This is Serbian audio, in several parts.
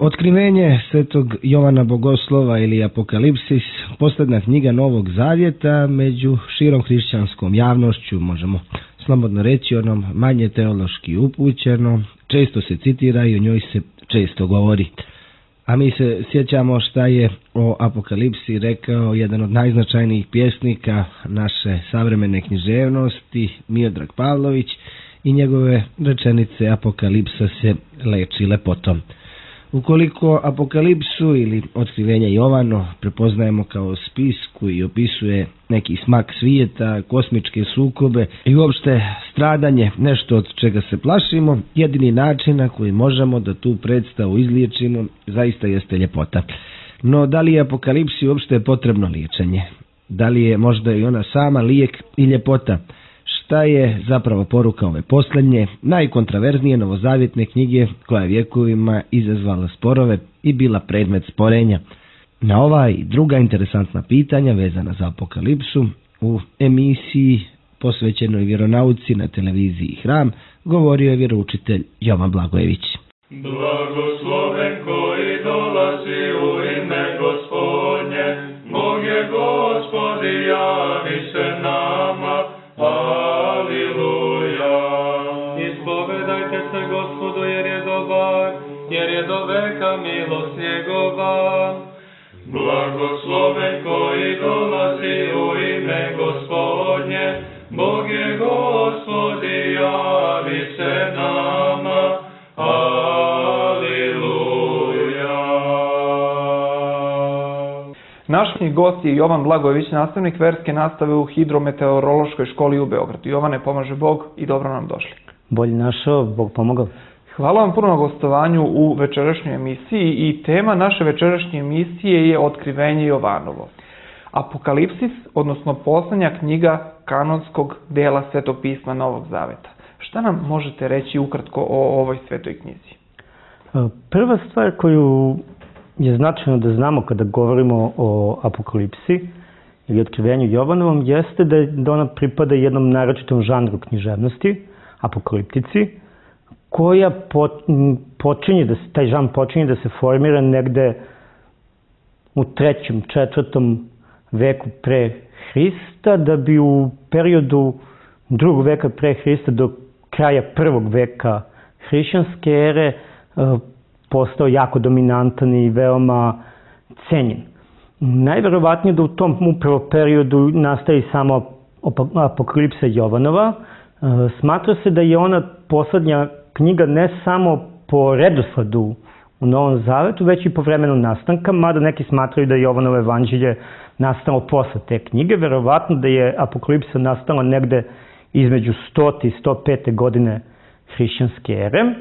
Otkrivenje svetog Jovana Bogoslova ili Apokalipsis, posljednja knjiga Novog Zavjeta, među širom hrišćanskom javnošću, možemo slobodno reći, onom manje teološki upućeno, često se citira i o njoj se često govori. A mi se sjećamo šta je o Apokalipsi rekao jedan od najznačajnijih pjesnika naše savremene književnosti, Miodrag Pavlović, i njegove rečenice Apokalipsa se leči lepotom. Ukoliko Apokalipsu ili Otkrivenje Jovano prepoznajemo kao spis koji opisuje neki smak svijeta, kosmičke sukobe i uopšte stradanje, nešto od čega se plašimo, jedini način na koji možemo da tu predstavu izliječimo zaista jeste ljepota. No da li je Apokalipsi uopšte potrebno liječenje? Da li je možda i ona sama lijek i ljepota? Šta je zapravo poruka ove posljednje, najkontraverznije novozavjetne knjige koja je vjekovima izazvala sporove i bila predmet sporenja? Na ova i druga interesantna pitanja vezana za Apokalipsu u emisiji posvećenoj vjeronauci na televiziji Hram govorio je vjeroučitelj Jovan Blagojević. Blagosloven koji dolazi u ime Gospodnje, Bog je Gospodi, javi se nama. Aleluja. Ispovedajte se Gospodu jer je dobar, jer je do veka milost njegova. Blagosloven koji dolazi u ime Gospodnje, Bog je Gospodi, javi se nama. Naš gost je Jovan Blagojević, nastavnik verske nastave u Hidrometeorološkoj školi u Beogradu. Jovane, pomaže Bog i dobro nam došli. Bolje našao, Bog pomogao. Hvala vam puno na gostovanju u večerašnjoj emisiji i tema naše večerašnje emisije je Otkrivenje Jovanovo. Apokalipsis, odnosno posljednja knjiga kanonskog dela Svetog pisma Novog Zaveta. Šta nam možete reći ukratko o ovoj svetoj knjizi? Prva stvar koju je značajno da znamo kada govorimo o Apokalipsi ili Otkrivenju Jovanovom jeste da ona pripada jednom naročitom žanru književnosti, apokaliptici, koja taj žanr počinje da se formira negde u 3. 4. veku pre Hrista, da bi u periodu 2. veka pre Hrista do kraja 1. veka hrišćanske ere postao jako dominantan i veoma cenjen. Najverovatnije da u tom upravo periodu nastaje samo Apokalipsa Jovanova. Smatra se da je ona posljednja knjiga ne samo po redosledu u Novom Zavetu, već i po vremenu nastanka, mada neki smatraju da je Jovanovo evanđelje nastalo posle te knjige. Verovatno da je Apokalipsa nastala negde između 100. i 105. godine hrišćanske ere.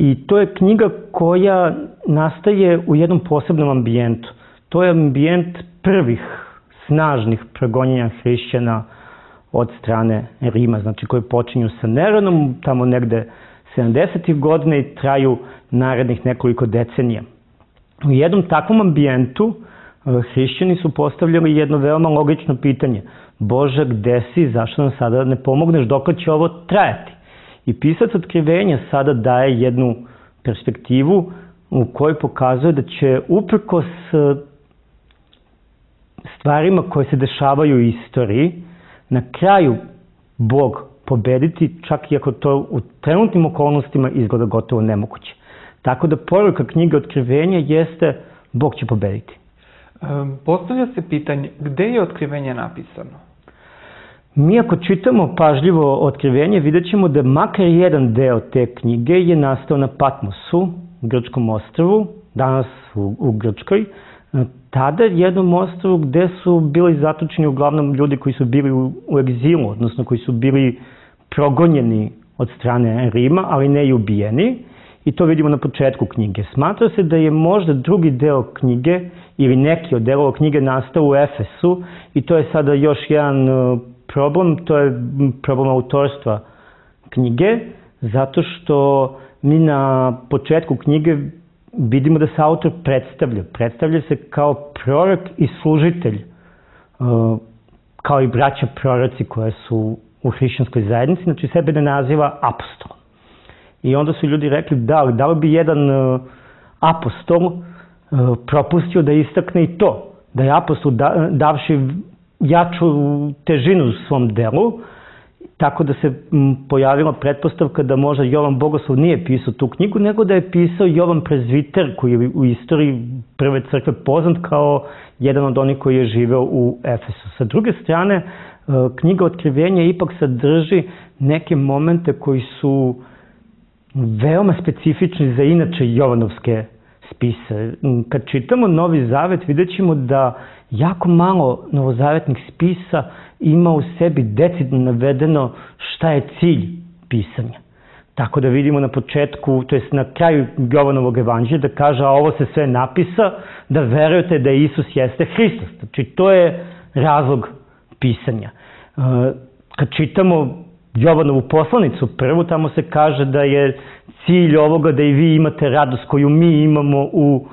I to je knjiga koja nastaje u jednom posebnom ambijentu. To je ambijent prvih snažnih progonjenja hrišćana od strane Rima, znači koji počinju sa Neronom, tamo negde 70. godina i traju narednih nekoliko decenija. U jednom takvom ambijentu hrišćani su postavljali jedno veoma logično pitanje. Bože, gde si, zašto nam sada ne pomogneš, dokle će ovo trajati? I pisac Otkrivenja sada daje jednu perspektivu u kojoj pokazuje da će uprkos stvarima koje se dešavaju u istoriji, na kraju Bog pobediti, čak i ako to u trenutnim okolnostima izgleda gotovo nemoguće. Tako da poruka knjige Otkrivenja jeste Bog će pobediti. Postavlja se pitanje, gde je Otkrivenje napisano? Mi ako čitamo pažljivo Otkrivenje, vidjet ćemo da makar jedan deo te knjige je nastao na Patmosu, grčkom ostrvu, danas u Grčkoj. Tada jednom ostrvu gde su bili zatočeni uglavnom ljudi koji su bili u egzilu, odnosno koji su bili progonjeni od strane Rima, ali ne i ubijeni. I to vidimo na početku knjige. Smatra se da je možda drugi deo knjige ili neki od delova knjige nastao u Efesu i to je sada još jedan problem, to je problem autorstva knjige, zato što mi na početku knjige vidimo da se autor predstavlja. Predstavlja se kao prorok i služitelj, kao i braća proroci koje su u hrišćanskoj zajednici, znači sebe ne naziva apostol. I onda su ljudi rekli da li bi jedan apostol propustio da istakne i to, da je apostol davši jaču težinu u svom delu, tako da se pojavila pretpostavka da možda Jovan Bogoslov nije pisao tu knjigu, nego da je pisao Jovan Prezviter, koji je u istoriji prve crkve poznat kao jedan od onih koji je živeo u Efesu. Sa druge strane, knjiga Otkrivenja ipak sadrži neke momente koji su veoma specifični za inače Jovanovske spise. Kad čitamo Novi Zavet, vidjet ćemo da jako malo novozavetnih spisa ima u sebi decidno navedeno šta je cilj pisanja. Tako da vidimo na početku, to jest na kraju Jovanovog evanđelja, da kaže, a ovo se sve napisa, da verujete da Isus jeste Hristos. Znači, to je razlog pisanja. Kad čitamo Jovanovu poslanicu prvu, tamo se kaže da je cilj ovoga da i vi imate radost koju mi imamo u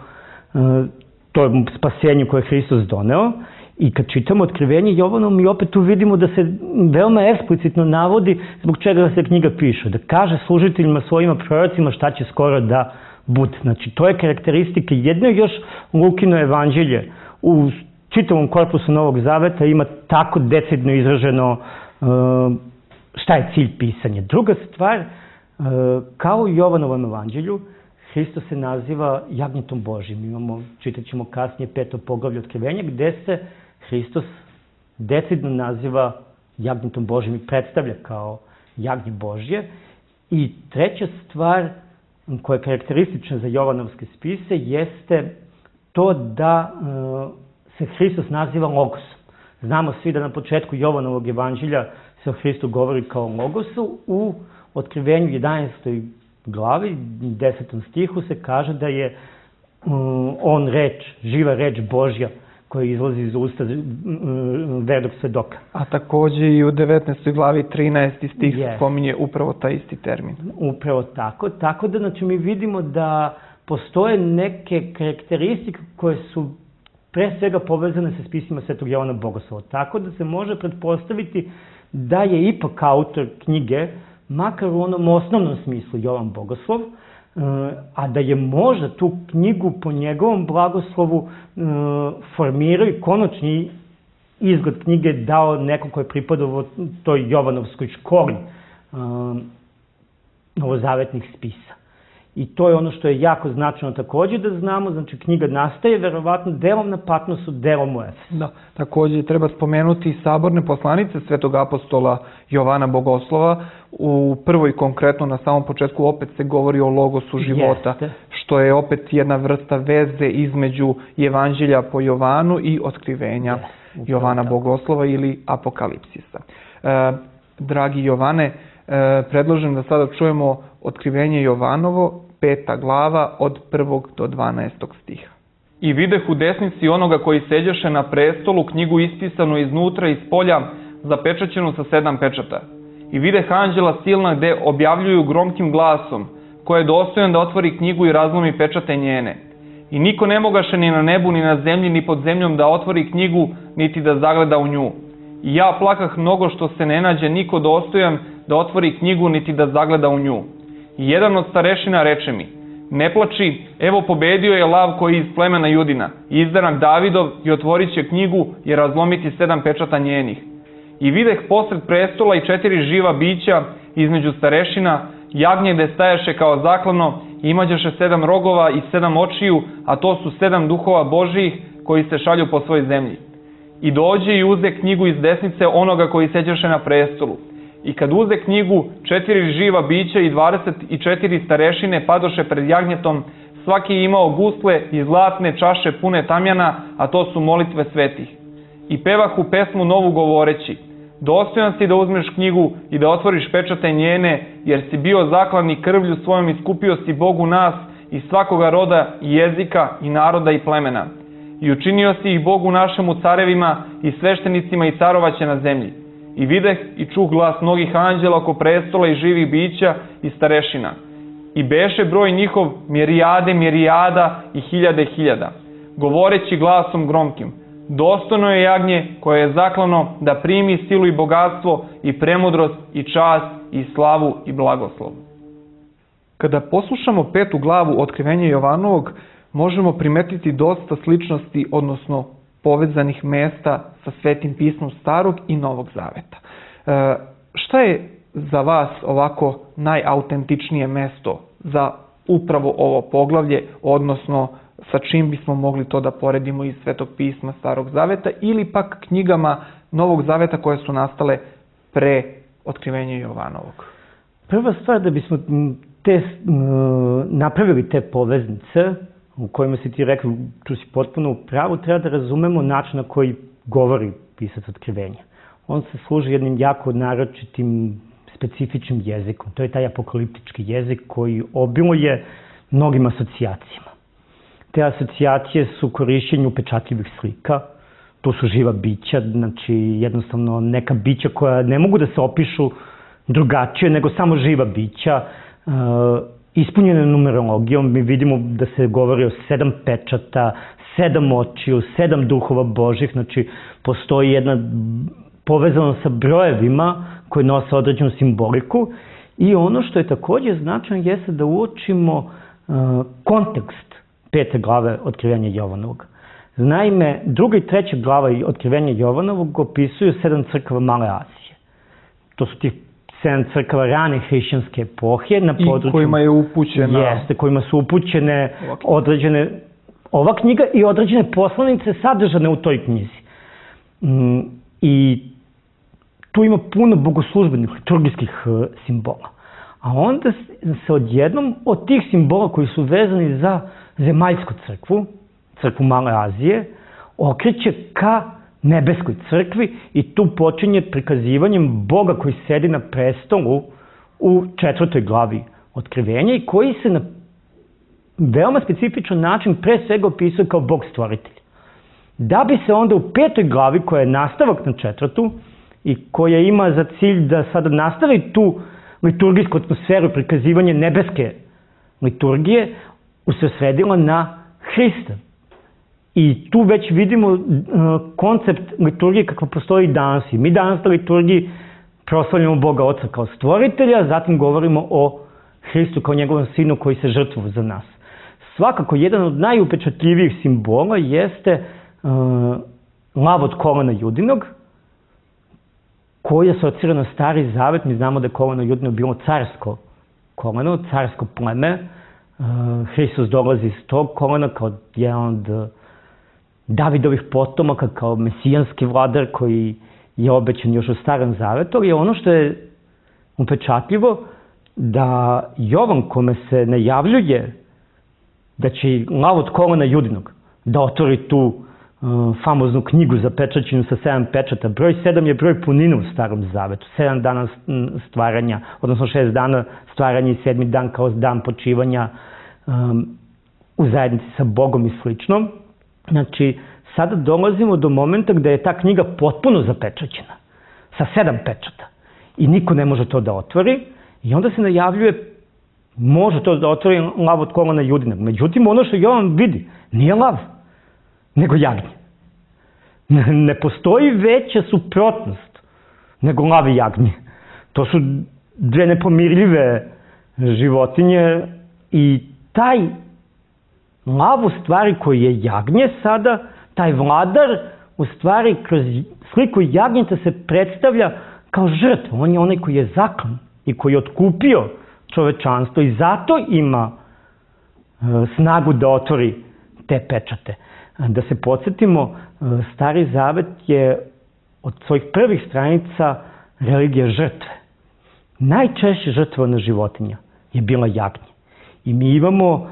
tom spasenju koje je Hristos doneo. I kad čitamo Otkrivenje Jovanovo, mi opet tu vidimo da se veoma eksplicitno navodi zbog čega se knjiga piše. Da kaže služiteljima svojima prorocima šta će skoro da bude. Znači, to je karakteristika. Jedno još Lukino evanđelje u čitavom korpusu Novog Zaveta ima tako decidno izraženo šta je cilj pisanja. Druga stvar, kao u Jovanovom evanđelju, Hristos se naziva jagnjetom Božjim. Čitat ćemo kasnije 5. poglavlje Otkrivenja, gde se Hristos decidno naziva jagnjetom Božjim i predstavlja kao jagnje Božje. I treća stvar koja je karakteristična za Jovanovske spise jeste to da se Hristos naziva Logosom. Znamo svi da na početku Jovanovog evanđelja se o Hristu govori kao Logosu. U Otkrivenju 11. glavi, 10. stihu se kaže da je on reč, živa reč Božja koja izlazi iz usta vernog svedoka. A takođe i u 19. glavi 13. stih se spominje upravo taj isti termin. Upravo tako. Tako da znači, mi vidimo da postoje neke karakteristike koje su pre svega povezane sa spisima Svetog Jovana Bogoslova. Tako da se može pretpostaviti da je ipak autor knjige, makar u onom osnovnom smislu Jovan Bogoslov, a da je možda tu knjigu po njegovom blagoslovu formirao i konačni izgled knjige dao neko ko je pripadao toj Jovanovskoj školi novozavetnih spisa. I to je ono što je jako značajno takođe da znamo, znači knjiga nastaje verovatno delom na Patmosu, delom u Efesu. Da, takođe treba spomenuti saborne poslanice Svetog apostola Jovana Bogoslova. U prvoj konkretno na samom početku opet se govori o logosu života, što je opet jedna vrsta veze između evanđelja po Jovanu i otkrivenja Jovana Bogoslova ili apokalipsisa. Dragi Jovane, predlažem da sada čujemo Otkrivenje Jovanovo, 5. glava od 1. do 12. stiha. I videh u desnici onoga koji seđeše na prestolu knjigu ispisanu iznutra i spolja, zapečaćenu sa 7 pečata. I videh anđela silna gde objavljuju gromkim glasom, ko je dostojan da otvori knjigu i razlomi pečate njene. I niko ne mogaše ni na nebu, ni na zemlji, ni pod zemljom da otvori knjigu, niti da zagleda u nju. I ja plakah mnogo što se ne nađe niko dostojan da otvori knjigu, niti da zagleda u nju. I jedan od starešina reče mi, ne plači, evo pobedio je lav koji je iz plemena Judina, izdanak Davidov i otvorit će knjigu i razlomiti 7 pečata njenih. I videh posred prestola i 4 živa bića između starešina, jagnje gde staješe kao zaklano, imađeše 7 rogova i 7 očiju, a to su 7 duhova Božijih koji se šalju po svoj zemlji. I dođe i uze knjigu iz desnice onoga koji seđeše na prestolu. I kad uze knjigu, 4 živa bića i 24 starešine padoše pred jagnjetom, svaki je imao gusle i zlatne čaše pune tamjana, a to su molitve svetih. I pevahu pesmu novu govoreći, dostojan si da uzmeš knjigu i da otvoriš pečate njene, jer si bio zaklan i krvlju svojom iskupio si Bogu nas i svakoga roda i jezika i naroda i plemena. I učinio si ih Bogu našemu carevima i sveštenicima i carovaće na zemlji. I videh i čuh glas mnogih anđela oko prestola i živih bića i starešina. I beše broj njihov mirijade mirijada i hiljade hiljada, govoreći glasom gromkim, dostojno je jagnje koje je zaklano da primi silu i bogatstvo i premudrost i čast i slavu i blagoslov. Kada poslušamo 5. glavu Otkrivenja Jovanovog, možemo primetiti dosta sličnosti, odnosno povezanih mesta sa Svetim pismom Starog i Novog Zaveta. Šta je za vas ovako najautentičnije mesto za upravo ovo poglavlje, odnosno sa čim bismo mogli to da poredimo iz Svetog pisma Starog Zaveta ili pak knjigama Novog Zaveta koje su nastale pre Otkrivenja Jovanovog? Prva stvar, da bismo napravili te poveznice u kojima si ti rekao, tu si potpuno u pravu, treba da razumemo način na koji govori pisac Otkrivenja. On se služi jednim jako naročitim, specifičnim jezikom. To je taj apokaliptički jezik koji obiluje mnogim asocijacijama. Te asocijacije su korišćenje upečatljivih slika, to su živa bića, znači jednostavno neka bića koja ne mogu da se opišu drugačije nego samo živa bića, ispunjene numerologijom. Mi vidimo da se govori o 7 pečata, 7 očiju, 7 duhova Božih, znači postoji jedna povezano sa brojevima koji nose određenu simboliku i ono što je također značajno jeste da uočimo kontekst 5. glave Otkrivenja Jovanovog. Naime, 2. i 3. glava Otkrivenja Jovanovog opisuju 7 crkava Male Azije. To su tih 7 crkava rane hrišćanske epohe na području... I kojima je upućena... Jeste, kojima su upućene određene... Ova knjiga i određene poslanice sadržane u toj knjizi. I tu ima puno bogoslužbenih, liturgijskih simbola. A onda se odjednom od tih simbola koji su vezani za zemaljsku crkvu, crkvu Male Azije, okreće ka nebeskoj crkvi i tu počinje prikazivanjem Boga koji sedi na prestolu u 4. glavi Otkrivenja i koji se na veoma specifičan način pre svega opisuje kao Bog stvoritelj. Da bi se onda u 5. glavi, koja je nastavak na 4. i koja ima za cilj da sada nastavi tu liturgijsku atmosferu, prikazivanje nebeske liturgije, usredsredila na Hrista. I tu već vidimo koncept liturgije kakva postoji danas. I mi danas na liturgiji proslavljamo Boga Oca kao stvoritelja, zatim govorimo o Hristu kao njegovom sinu koji se žrtvovao za nas. Svakako, jedan od najupečatljivijih simbola jeste lav od kolena Judinog, koji asocira na Stari Zavet. Mi znamo da je koleno Judino bilo carsko koleno, carsko pleme. Hristos dolazi iz tog kolena kao jedan od Davidovih potomaka, kao mesijanski vladar koji je obećan još u Starom Zavetu. Ali ono što je upečatljivo, da Jovan, kome se najavljuje da će lav od kolena Judinog da otvori tu famoznu knjigu zapečaćenu sa 7 pečata. Broj 7 je broj punine u Starom Zavetu. 7 dana stvaranja, odnosno 6 dana stvaranja i 7. dan kao dan počivanja u zajednici sa Bogom i slično. Znači, sada dolazimo do momenta gde je ta knjiga potpuno zapečaćena, sa 7 pečata. I niko ne može to da otvori. I onda se najavljuje, može to da otvori lav od kolena Judinog. Međutim, ono što Jovan vidi, nije lav, nego jagnje. Ne postoji veća suprotnost nego lav i jagnje. To su dve nepomirljive životinje i taj lav u stvari koji je jagnje sada, taj vladar u stvari kroz sliku jagnjeta se predstavlja kao žrtva. On je onaj koji je zaklan i koji je otkupio čovečanstvo i zato ima snagu da otvori te pečate. Da se podsjetimo, Stari Zavet je od svojih prvih stranica religija žrtve. Najčešće žrtvovana životinja je bila jagnje. I mi imamo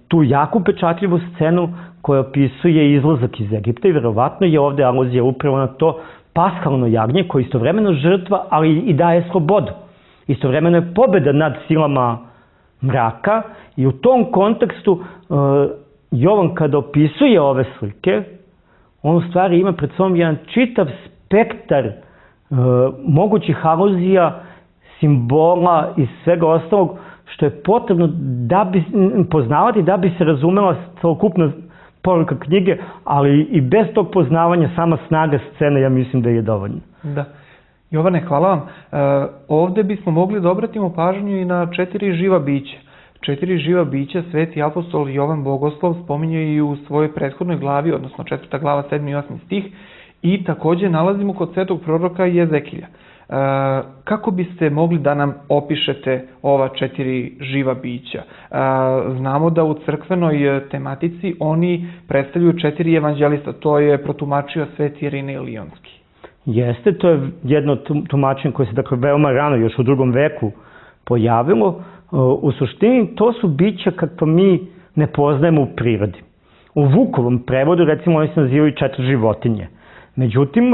tu jako upečatljivu scenu koja opisuje izlazak iz Egipta i verovatno je ovde aluzija upravo na to paskalno jagnje koje je istovremeno žrtva, ali i daje slobodu. Istovremeno je pobeda nad silama mraka i u tom kontekstu Jovan kada opisuje ove slike, on u stvari ima pred sobom jedan čitav spektar mogućih aluzija, simbola i svega ostalog što je potrebno da bi poznavati, da bi se razumela celokupna poruka knjige, ali i bez tog poznavanja sama snaga scene, ja mislim da je dovoljna. Da. Jovane, hvala vam. Ovde bismo mogli da obratimo pažnju i na 4 živa bića. 4 živa bića sveti apostol Jovan Bogoslov spominje i u svojoj prethodnoj glavi, odnosno 4. glava 7. i 8. stih, i takođe nalazimo kod svetog proroka Jezekilja. Kako biste mogli da nam opišete ova 4 živa bića? Znamo da u crkvenoj tematici oni predstavljaju 4 evanđelista, to je protumačio sveti Irinej Lionski. Jeste, to je jedno tumačenje koje se dakle veoma rano, još u 2. veku pojavilo. U suštini to su bića kakva mi ne poznajemo u prirodi. U Vukovom prevodu recimo oni se nazivaju 4 životinje. Međutim,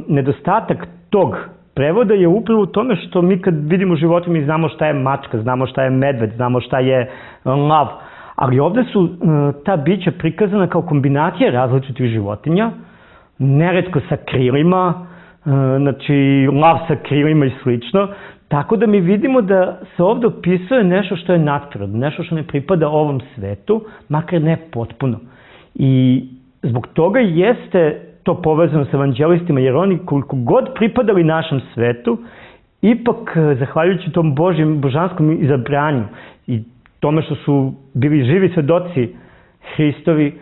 nedostatak tog prevoda je upravo u tome što mi kad vidimo životinje mi znamo šta je mačka, znamo šta je medved, znamo šta je lav, ali ovde su ta bića prikazana kao kombinacija različitih životinja, neretko sa krilima, znači lav sa krilima i slično, tako da mi vidimo da se ovde opisuje nešto što je nadprirodno, nešto što ne pripada ovom svetu, makar ne potpuno. I zbog toga jeste to povezano sa evanđelistima, jer oni koliko god pripadali našem svetu, ipak, zahvaljujući tom božanskom izabranju i tome što su bili živi svedoci Hristovi,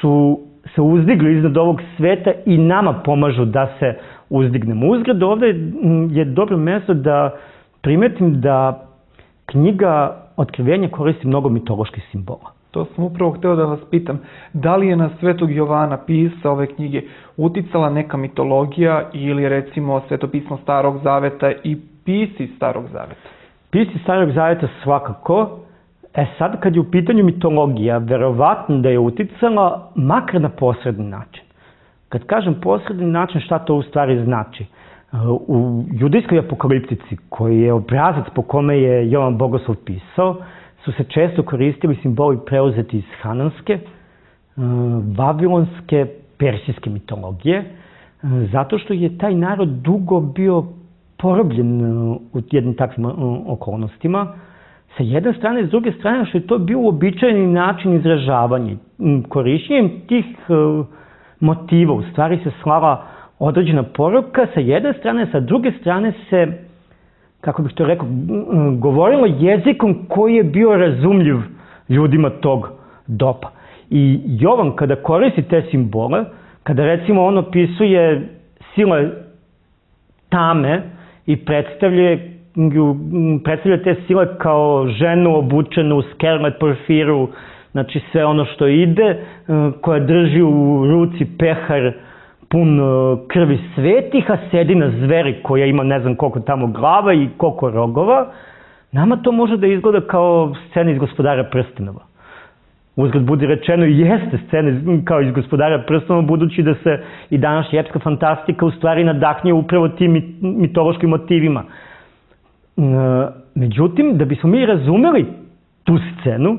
su se uzdigli iznad ovog sveta i nama pomažu da se uzdignemo. Uzgled ovde je dobro mesto da primetim da knjiga Otkrivenja koristi mnogo mitoloških simbola. To sam upravo hteo da vas pitam, da li je na svetog Jovana, pisa ove knjige, uticala neka mitologija ili recimo svetopismo Starog Zaveta i pisci Starog Zaveta? Pisci Starog Zaveta svakako. Sad kad je u pitanju mitologija, verovatno da je uticala makar na posredni način. Kad kažem posredni način, šta to u stvari znači? U judejskoj apokaliptici, koji je obrazac po kome je Jovan Bogoslov pisao, su se često koristili simboli preuzeti iz hananske, vavilonske, persijske mitologije, zato što je taj narod dugo bio porobljen u jednim takvim okolnostima. Sa jedne strane, s druge strane, što je to bio uobičajeni način izražavanja. Korišćenjem tih motiva u stvari se slala određena poruka sa jedne strane, sa druge strane se, kako bih to rekao, govorilo jezikom koji je bio razumljiv ljudima tog doba. I Jovan kada koristi te simbole, kada recimo on opisuje sile tame i predstavlja te sile kao ženu obučenu u skerlet porfiru, znači sve ono što ide, koja drži u ruci pehar pun krvi svetih, a sedi na zveri koja ima ne znam koliko tamo glava i koliko rogova, nama to može da izgleda kao scena iz Gospodara prstenova. Uzgled budi rečeno, jeste scena kao iz Gospodara prstenova, budući da se i današnja epska fantastika u stvari nadahnje upravo tim mitološkim motivima. Međutim, da bismo mi razumeli tu scenu,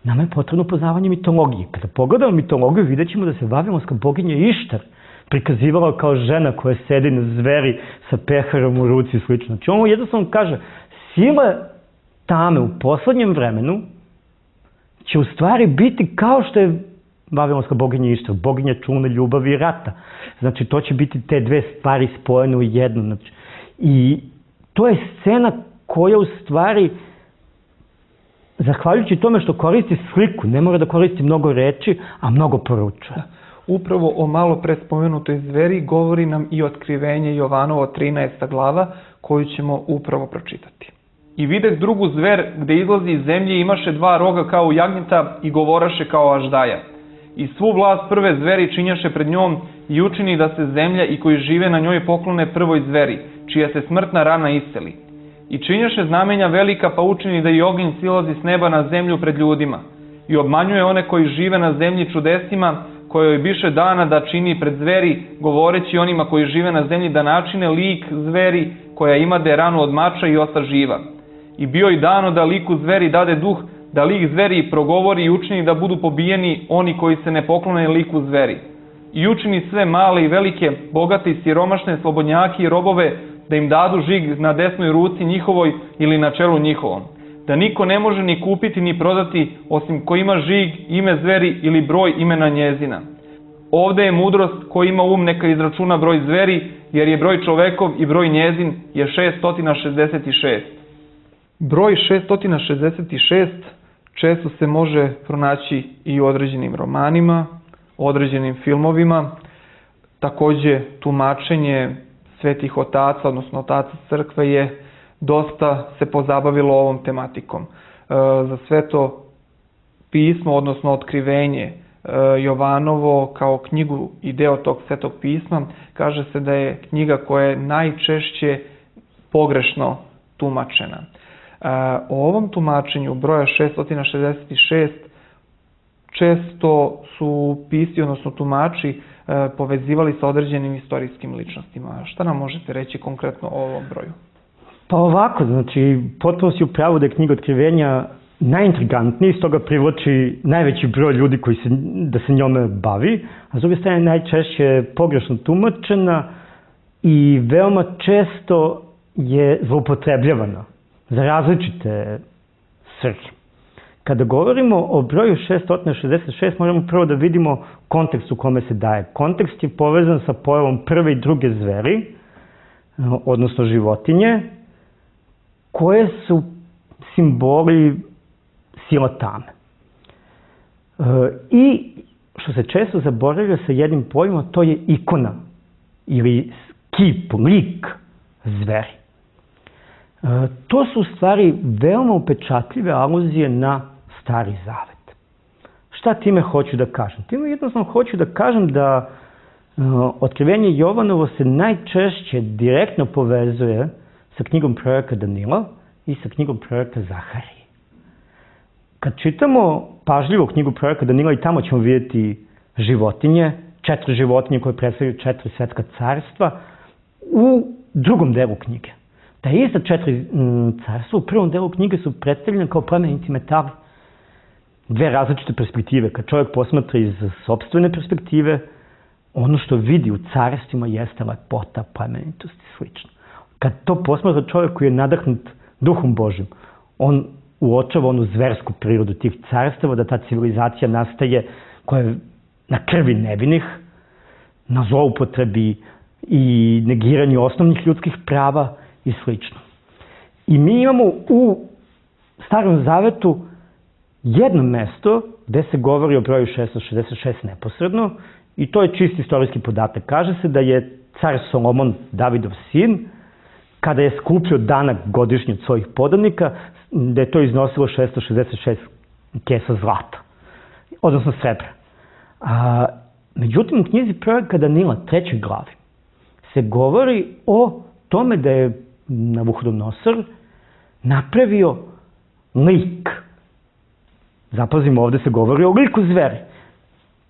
nama je potrebno poznavanje mitologije. Kada pogledamo mitologiju, vidjet ćemo da se vavilonska boginja Ištar prikazivala kao žena koja sedi na zveri sa peharom u ruci i sl. Znači, ono jednostavno kaže, sile tame u poslednjem vremenu će u stvari biti kao što je vavilonska boginja Ištar, boginja čune, ljubavi i rata. Znači, to će biti te dve stvari spojene u jednu. Znači, i to je scena koja u stvari, zahvaljujući tome što koristi sliku, ne mora da koristi mnogo reči, a mnogo poručuje. Upravo o malo pre spomenutoj zveri govori nam i Otkrivenje Jovanovo 13. glava, koju ćemo upravo pročitati. I videh drugu zver gde izlazi iz zemlje imaše 2 roga kao jagnjeta i govoraše kao aždaja. I svu vlast prve zveri činjaše pred njom i učini da se zemlja i koji žive na njoj poklone prvoj zveri, čija se smrtna rana isceli. I činjaše znamenja velika pa učini da i ognjen silazi s neba na zemlju pred ljudima. I obmanjuje one koji žive na zemlji čudesima, kojoj biše dana da čini pred zveri, govoreći onima koji žive na zemlji da načine lik zveri koja imade ranu od mača i osta živa. I bio i dano da liku zveri dade duh, da lik zveri progovori i učini da budu pobijeni oni koji se ne poklone liku zveri. I učini sve male i velike, bogate i siromašne, slobodnjake i robove, da im dadu žig na desnoj ruci njihovoj ili na čelu njihovom. Da niko ne može ni kupiti ni prodati, osim ko ima žig, ime zveri ili broj imena njezina. Ovde je mudrost, ko ima neka izračuna broj zveri, jer je broj čovekov i broj njezin je 666. Broj 666 često se može pronaći i u određenim romanima, određenim filmovima. Takođe, tumačenje svetih otaca, odnosno otaca crkve je dosta se pozabavilo ovom tematikom. Za sveto pismo, odnosno otkrivenje Jovanovo kao knjigu i deo tog svetog pisma, kaže se da je knjiga koja je najčešće pogrešno tumačena. O ovom tumačenju broja 666 često su pisci, odnosno tumači, povezivali sa određenim istorijskim ličnostima. Šta nam možete reći konkretno o ovom broju? Pa ovako, znači, potpuno si u pravu da je knjiga Otkrivenja najintrigantniji, stoga privlači najveći broj ljudi da se njome bavi, a s druge strane najčešće pogrešno tumačena i veoma često je zloupotrebljavana za različite svrhe. Kada govorimo o broju 666, moramo prvo da vidimo kontekst u kome se daje. Kontekst je povezan sa pojavom prve i druge zveri, odnosno životinje, koje su simboli sila tame. I što se često zaboravlja sa jednim pojmom, to je ikona ili kip, lik zveri. To su u stvari veoma upečatljive aluzije na Stari Zavet. Šta time hoću da kažem? Time jednostavno hoću da kažem da Otkrivenje Jovanovo se najčešće direktno povezuje sa knjigom proroka Danila i sa knjigom proroka Zaharije. Kad čitamo pažljivo knjigu proroka Danila i tamo ćemo vidjeti životinje, 4 životinje koje predstavljaju 4 svetska carstva u drugom delu knjige. Da ista 4 carstva u prvom delu knjige su predstavljene kao plemenici metali. 2 različite perspektive. Kad čovjek posmatra iz sopstvene perspektive, ono što vidi u carstvima jeste lepota, plemenitost i slično. Kad to posmatra čovjek koji je nadahnut Duhom Božim, on uočava onu zversku prirodu tih carstava, da ta civilizacija nastaje koja je na krvi nevinih, na zloupotrebi i negiranju osnovnih ljudskih prava i slično. I mi imamo u Starom Zavetu jedno mesto gde se govori o broju 666 neposredno i to je čisti istorijski podatak. Kaže se da je car Solomon, Davidov sin, kada je skupio danak godišnji od svojih podanika, da je to iznosilo 666 kesa zlata, odnosno srebra. Međutim, u knjizi proroka Danila, 3. glavi, se govori o tome da je Navuhodonosor napravio lik. Zapazimo, ovde se govori o liku zveri.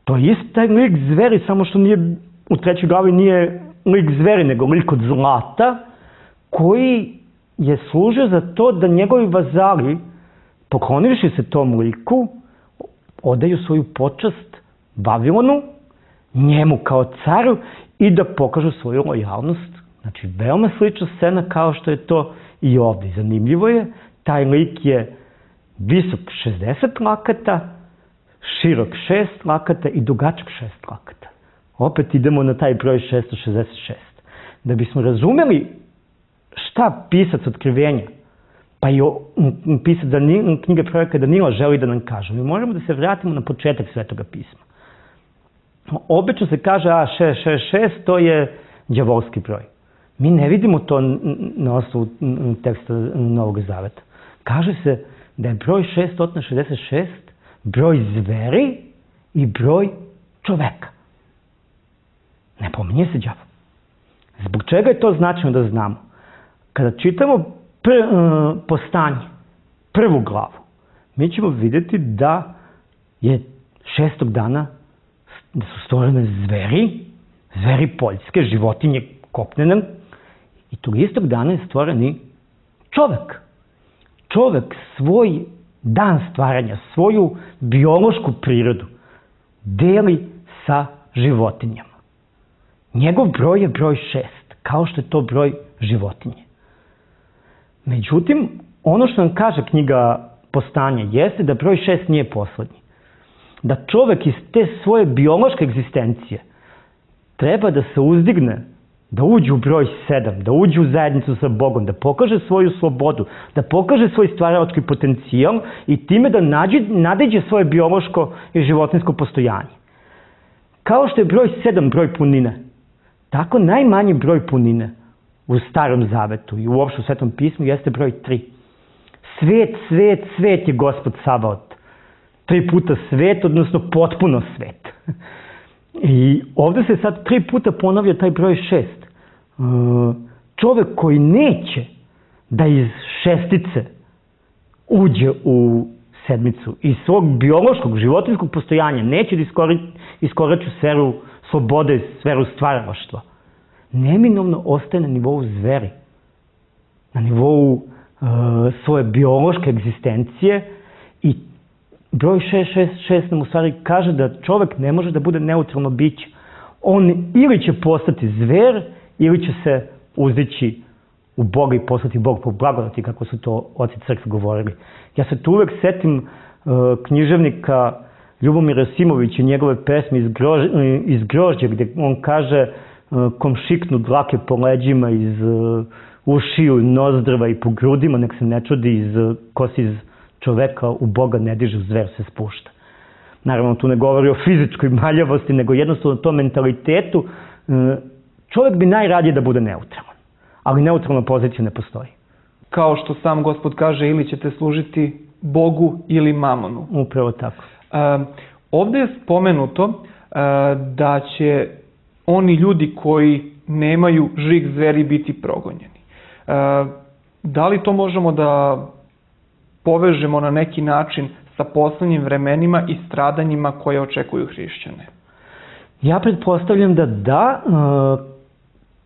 To je isti taj lik zveri, samo što nije, u 3. glavi nije lik zveri, nego lik od zlata, koji je služio za to da njegovi vazali, poklonivši se tom liku, odaju svoju počast Vavilonu, njemu kao caru, i da pokažu svoju lojalnost. Znači, veoma slična scena kao što je to i ovdje. Zanimljivo je, taj lik je visok 60 lakata, širok 6 lakata i dugačak 6 lakata. Opet idemo na taj broj 666. Da bismo razumeli šta pisac Otkrivenja, pa i pisac knjige proroka Danila želi da nam kaže, mi možemo da se vratimo na početak Svetoga pisma. Obično se kaže, 666, to je đavolski broj. Mi ne vidimo to na osnovu teksta Novog Zaveta. Kaže se da je broj 666 broj zveri i broj čoveka. Ne pominje se đavo. Zbog čega je to značajno da znamo? Kada čitamo Postanje, 1. glavu, mi ćemo vidjeti da je 6. dana da su stvorene zveri poljske, životinje kopnene, i tog istog dana je stvoren i čovek. Čovek svoj dan stvaranja, svoju biološku prirodu deli sa životinjama. Njegov broj je broj 6, kao što je to broj životinje. Međutim, ono što nam kaže knjiga Postanje jeste da broj 6 nije poslednji. Da čovek iz te svoje biološke egzistencije treba da se uzdigne da uđe u broj 7, da uđe u zajednicu sa Bogom, da pokaže svoju slobodu, da pokaže svoj stvaralački potencijal i time da nadiđe svoje biološko i životinjsko postojanje. Kao što je broj 7 broj punine, tako najmanji broj punine u Starom Zavetu i uopšte u Svetom pismu jeste broj 3. Svet, svet, svet je Gospod Sabaot. 3 puta svet, odnosno potpuno svet. I ovde se sad 3 puta ponavlja taj broj 6. Čovek koji neće da iz šestice uđe u sedmicu, iz svog biološkog, životinjskog postojanja, neće da iskorači sferu slobode, sferu stvaralaštva, neminovno ostaje na nivou zveri, na nivou svoje biološke egzistencije i broj 666 nam u stvari kaže da čovek ne može da bude neutralno biće. On ili će postati zver, ili će se uzdići u Boga i postati Bog po blagodati, kako su to oci crkve govorili. Ja se tu uvek setim književnika Ljubomira Simovića, njegove pesme iz Grožđa, gde on kaže kom šiknu dlake po leđima, iz ušiju, nozdrva i po grudima, nek se ne čudi, ko se iz čoveka u Boga ne diže, u zver se spušta. Naravno, tu ne govori o fizičkoj maljavosti, nego jednostavno o tom mentalitetu. Čovek bi najradije da bude neutralan, ali neutralna pozicija ne postoji. Kao što sam Gospod kaže, ili ćete služiti Bogu ili mamonu. Upravo tako. Ovde je spomenuto da će oni ljudi koji nemaju žig zveri biti progonjeni. Da li to možemo da povežemo na neki način sa poslednjim vremenima i stradanjima koje očekuju hrišćane? Ja pretpostavljam da da.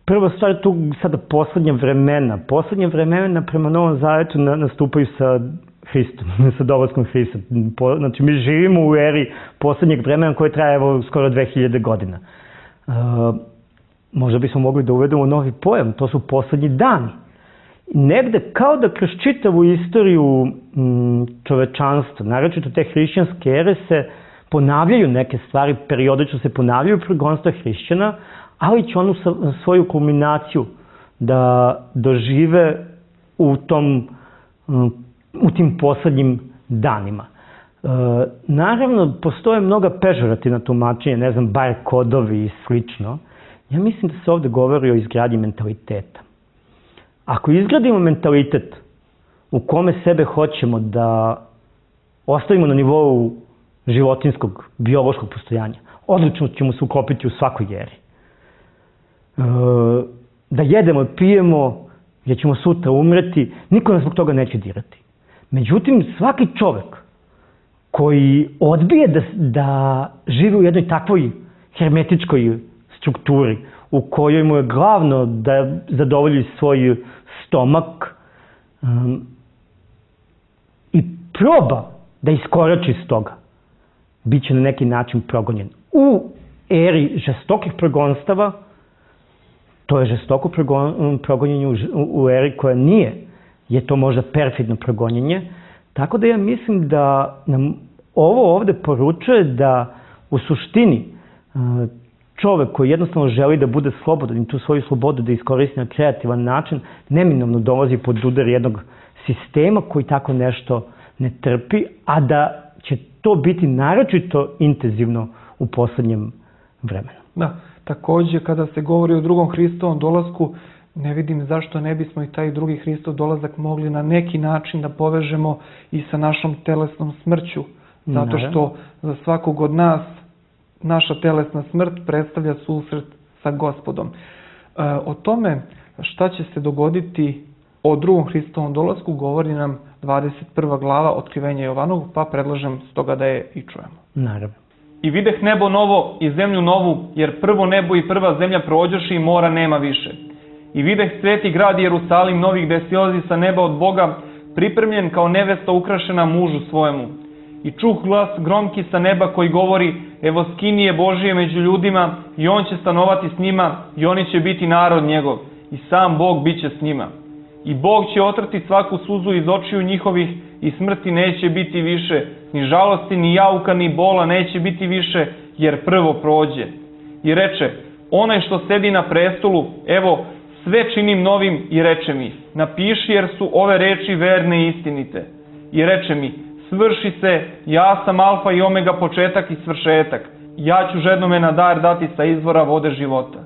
Prva stvar je tu sada poslednja vremena. Poslednja vremena prema Novom Zavetu nastupaju sa Hristom, sa dolaskom Hrista. Znači, mi živimo u eri poslednjeg vremena koje traje skoro 2000 godina. Možda bismo mogli da uvedemo novi pojam, to su poslednji dani. Negde kao da kroz čitavu istoriju čovečanstva, naročito te hrišćanske ere, se ponavljaju neke stvari, periodično se ponavljaju progonstva hrišćana, ali će onu svoju kulminaciju da dožive u tim poslednjim danima. Naravno, postoje mnoga pežorativna tumačenja, ne znam, bar kodovi i slično. Ja mislim da se ovde govori o izgradnji mentaliteta. Ako izgradimo mentalitet u kome sebe hoćemo da ostavimo na nivou životinskog, biološkog postojanja, odlično ćemo se uklopiti u svakoj eri. Da jedemo i pijemo, jer ćemo sutra umreti, niko nas zbog toga neće dirati. Međutim, svaki čovek koji odbije da živi u jednoj takvoj hermetičkoj strukturi, u kojoj mu je glavno da zadovolji svoj stomak i proba da iskorači iz toga, bit će na neki način progonjen. U eri žestokih progonstava, to je žestoko progonjenje u eri koja nije, je to možda perfidno progonjenje, tako da ja mislim da nam ovo ovde poručuje da u suštini čovek koji jednostavno želi da bude slobodan i tu svoju slobodu da iskoristi na kreativan način, neminovno dolazi pod udar jednog sistema koji tako nešto ne trpi, a da će to biti naročito intenzivno u poslednjem vremenu. Da, takođe kada se govori o drugom Hristovom dolasku, ne vidim zašto ne bismo i taj drugi Hristov dolazak mogli na neki način da povežemo i sa našom telesnom smrću. Zato što za svakog od nas naša telesna smrt predstavlja susret sa Gospodom. O tome šta će se dogoditi o drugom Hristovom dolasku govori nam 21. glava Otkrivenja Jovanovog, pa predlažem stoga da je i čujemo. Naravno. I videh nebo novo i zemlju novu, jer prvo nebo i prva zemlja prođoše i mora nema više. I videh sveti grad Jerusalim novi gde silazi sa neba od Boga, pripremljen kao nevesta ukrašena mužu svojemu. I čuh glas gromki sa neba koji govori, evo skinije Božije među ljudima i on će stanovati s njima i oni će biti narod njegov i sam Bog bit će s njima. I Bog će otrti svaku suzu iz očiju njihovih i smrti neće biti više, ni žalosti, ni jauka, ni bola neće biti više, jer prvo prođe. I reče, onaj što sedi na prestolu, evo, sve činim novim i reče mi, napiši jer su ove reči verne i istinite. I reče mi, svrši se, ja sam alfa i omega, početak i svršetak. Ja ću žednome na dar dati sa izvora vode života.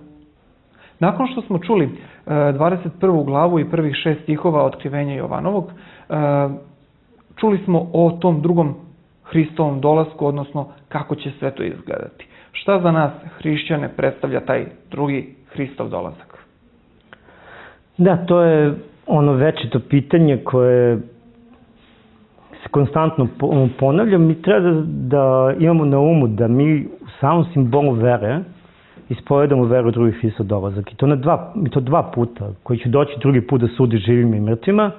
Nakon što smo čuli 21. glavu i prvih 6 stihova Otkrivenja Jovanovog, čuli smo o tom drugom Hristovom dolasku, odnosno kako će sve to izgledati. Šta za nas, hrišćane, predstavlja taj drugi Hristov dolazak? Da, to je ono večito pitanje koje se konstantno ponavlja. Mi treba da imamo na umu da mi u samom simbolu vere ispovedamo veru u drugi Hristov dolazak. I to dva puta, koji će doći drugi put da sudi živima i mrtvima,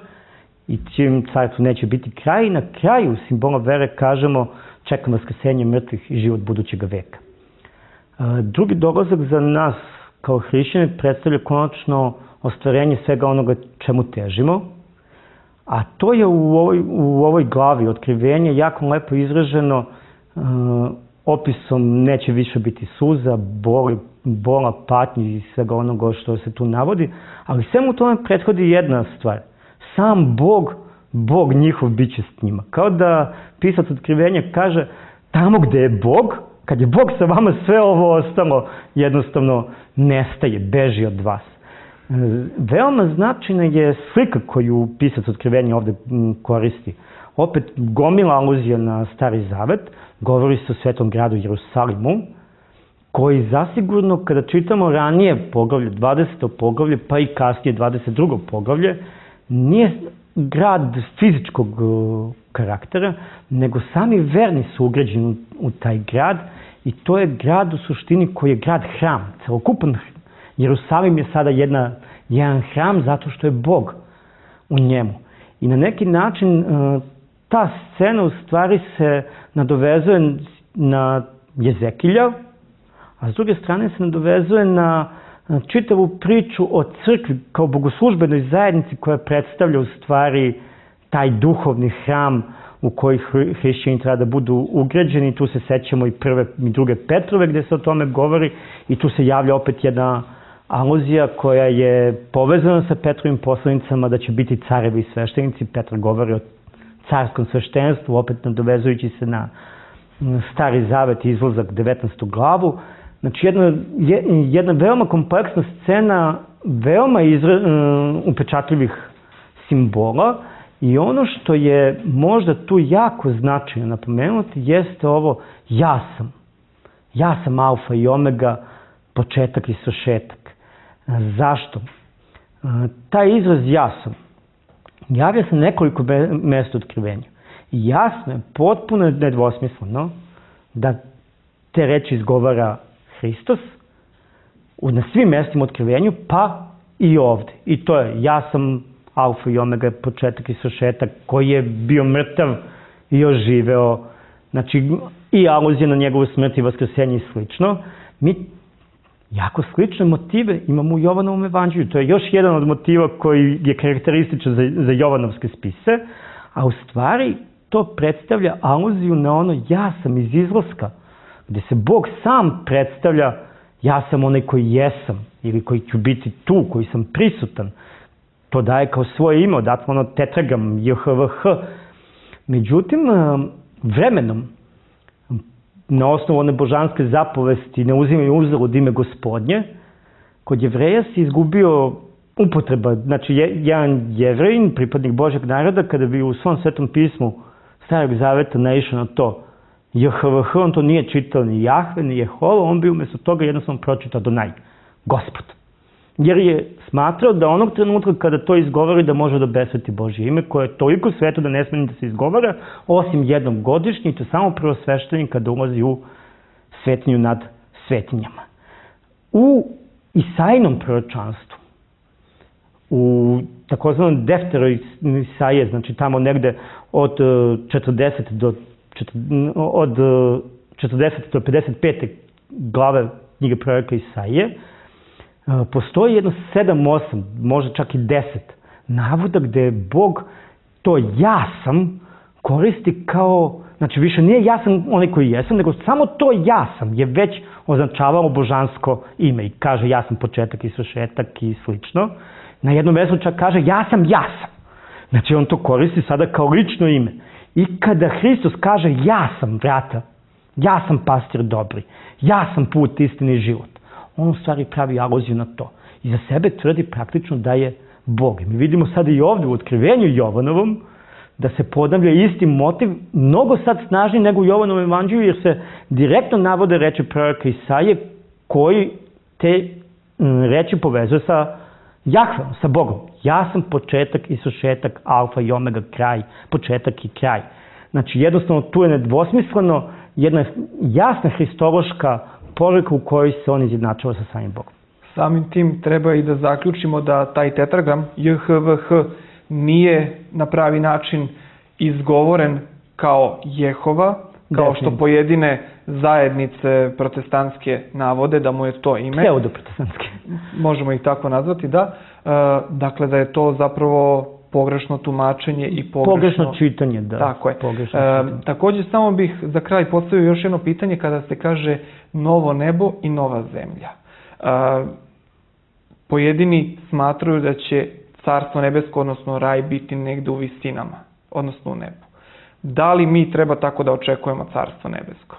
i čijem carstvu neće biti kraj. I na kraju simbola vere kažemo čekam vaskrsenje mrtvih i život budućeg veka. Drugi dolazak za nas kao hrišćane predstavlja konačno ostvarenje svega onoga čemu težimo, a to je u ovoj glavi Otkrivenja jako lepo izraženo opisom neće više biti suza, bola, patnji i svega onoga što se tu navodi, ali svemu tome prethodi jedna stvar. Sam Bog njihov bit će s njima. Kao da pisac Otkrivenja kaže, tamo gde je Bog, kad je Bog sa vama, sve ovo ostalo jednostavno nestaje, beži od vas. Veoma značajna je slika koju pisac Otkrivenja ovde koristi. Opet gomila aluzija na Stari Zavet, govori se o svetom gradu Jerusalimu, koji zasigurno kada čitamo ranije poglavlje, 20. poglavlje, pa i kasnije 22. poglavlje, nije grad fizičkog karaktera, nego sami verni su ugrađeni u taj grad i to je grad u suštini koji je grad hram. Celokupan Jerusalim je sada jedan hram zato što je Bog u njemu. I na neki način ta scena u stvari se nadovezuje na Jezekilja, a s druge strane se nadovezuje na čitavu priču o crkvi kao bogoslužbenoj zajednici koja predstavlja u stvari taj duhovni hram u koji hrišćani treba da budu ugrađeni. Tu se sećamo i prve i druge Petrove gde se o tome govori i tu se javlja opet jedna aluzija koja je povezana sa Petrovim poslanicama da će biti carevi i sveštenici. Petar govori o carskom sveštenstvu, opet nadovezujući se na Stari Zavet i izlazak 19. glavu. Znači jedna veoma kompleksna scena, veoma upečatljivih simbola i ono što je možda tu jako značajno napomenuti jeste ovo ja sam. Ja sam alfa i omega, početak i svršetak. Zašto? Taj izraz ja sam javlja se nekoliko mesta u Otkrivenju. I jasno je, potpuno nedvosmisleno da te reči izgovara Hristos na svim mestima u Otkrivenju, pa i ovde. I to je, ja sam alfa i omega, početak i svršetak, koji je bio mrtav i oživeo. Znači, i aluzija na njegovu smrt i vaskrsenje i slično. Mi jako slične motive imamo u Jovanovom evanđelju. To je još jedan od motiva koji je karakterističan za Jovanovske spise, a u stvari to predstavlja aluziju na ono ja sam iz izlaska, gde se Bog sam predstavlja ja sam onaj koji jesam ili koji ću biti tu, koji sam prisutan. To daje kao svoje ime, odatle ono tetragram, JHVH. Međutim, vremenom, na osnovu one božanske zapovesti ne uzimaju uzalud ime Gospodnje, kod Jevreja se izgubio upotreba. Znači, jedan Jevrejin, pripadnik Božjeg naroda, kada bi u svom svetom pismu Starog Zaveta naišao na to JHVH, on to nije čitao ni Jahve, ni Jehova, on bi umjesto toga jednostavno pročitao Adonaj, Gospod. Jer je smatrao da onog trenutka kada to izgovori da može da besveti Božje ime, koje je toliko sveto da ne smije da se izgovara, osim jednom godišnje, i to samo prvosveštenik kada ulazi u svetinju nad svetinjama. U Isaijinom proročanstvu, u takozvanom defteroj Isaije, znači tamo negde od 40 do 55. glave knjige proroka Isaije, postoji jedno 7-8, možda čak i 10 navoda gde Bog to ja sam koristi kao, znači više nije ja sam onaj koji jesam, nego samo to ja sam je već označavalo božansko ime i kaže ja sam početak i svršetak i slično. Na jednom mjestu čak kaže ja sam. Znači on to koristi sada kao lično ime. I kada Hristos kaže ja sam vrata, ja sam pastir dobri, ja sam put, istini i život, on u stvari pravi aluziju na to. I za sebe tvrdi praktično da je Bog. Mi vidimo sada i ovdje u otkrivenju Jovanovom da se ponavlja isti motiv, mnogo sad snažniji nego u Jovanovom evanđelju, jer se direktno navode reči proroka Isaije koji te reči povezuje sa Jahveom, sa Bogom. Ja sam početak i svršetak, alfa i omega, kraj, početak i kraj. Znači jednostavno tu je nedvosmisleno jedna jasna hristološka poruka u kojoj se on izjednačava sa samim Bogom. Samim tim treba i da zaključimo da taj tetragram JHVH nije na pravi način izgovoren kao Jehova, kao što pojedine zajednice protestantske navode da mu je to ime. Pseudoprotestantske. Možemo ih tako nazvati, da. Dakle, da je to zapravo pogrešno tumačenje i pogrešno čitanje, da. Tako je. Također, samo bih za kraj postavio još jedno pitanje kada se kaže novo nebo i nova zemlja. Pojedini smatraju da će Carstvo nebesko, odnosno raj, biti negde u visinama, odnosno u nebu. Da li mi treba tako da očekujemo Carstvo nebesko?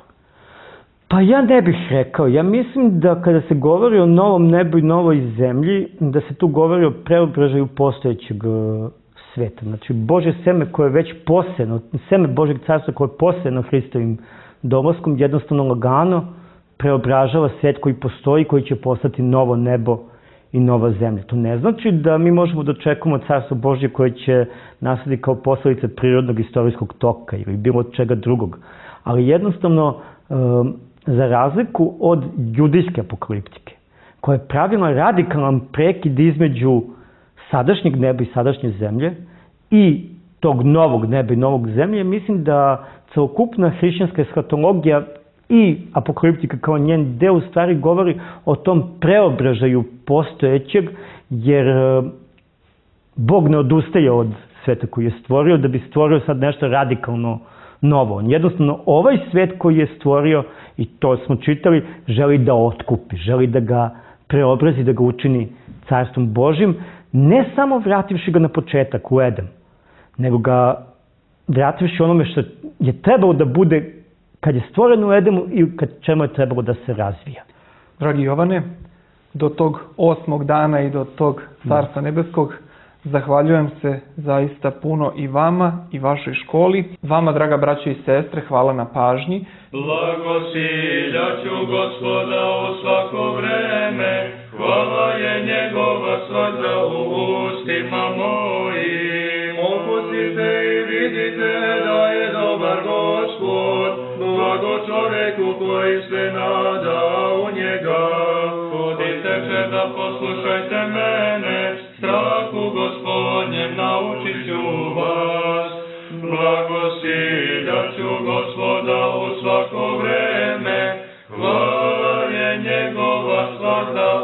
Pa ja ne bih rekao. Ja mislim da kada se govori o novom nebu i novoj zemlji, da se tu govori o preobražaju postojećeg sveta. Znači, Božje seme koje je već posejano, seme Božjeg carstva koje je posejano Hristovim dolaskom, jednostavno lagano preobražava svet koji postoji, koji će postati novo nebo i nova zemlja. To ne znači da mi možemo da očekujemo Carstvo Božje koje će nastati kao posledica prirodnog istorijskog toka ili bilo čega drugog. Ali jednostavno, za razliku od judijske apokaliptike, koja je pravila radikalan prekid između sadašnjeg neba i sadašnje zemlje i tog novog neba i novog zemlje, mislim da celokupna hrišćanska eshatologija i apokaliptika kao njen deo u stvari govori o tom preobražaju postojećeg, jer Bog ne odustaje od sveta koji je stvorio da bi stvorio sad nešto radikalno novo. On jednostavno ovaj svet koji je stvorio, i to smo čitali, želi da otkupi, želi da ga preobrazi, da ga učini carstvom Božjim, ne samo vrativši ga na početak u Edem, nego ga vrativši onome što je trebalo da bude kad je stvoren u Edemu i kad čemu je trebalo da se razvija. Dragi Jovane, do tog 8. dana i do tog Carstva nebeskog zahvaljujem se zaista puno i vama i vašoj školi. Vama, draga braćo i sestre, hvala na pažnji. Blagosiljaću Gospoda u svako vreme, hvala je njegova svadra u ustima mojim. Opustite i vidite da je dobar Gospod, blago čoveku koji se nada u njega. Hodite se da poslušajte mene, strahu Gospodnjem naučit ću vas. Blagosiljaću Gospoda u svako vreme, hvala je njegova svadra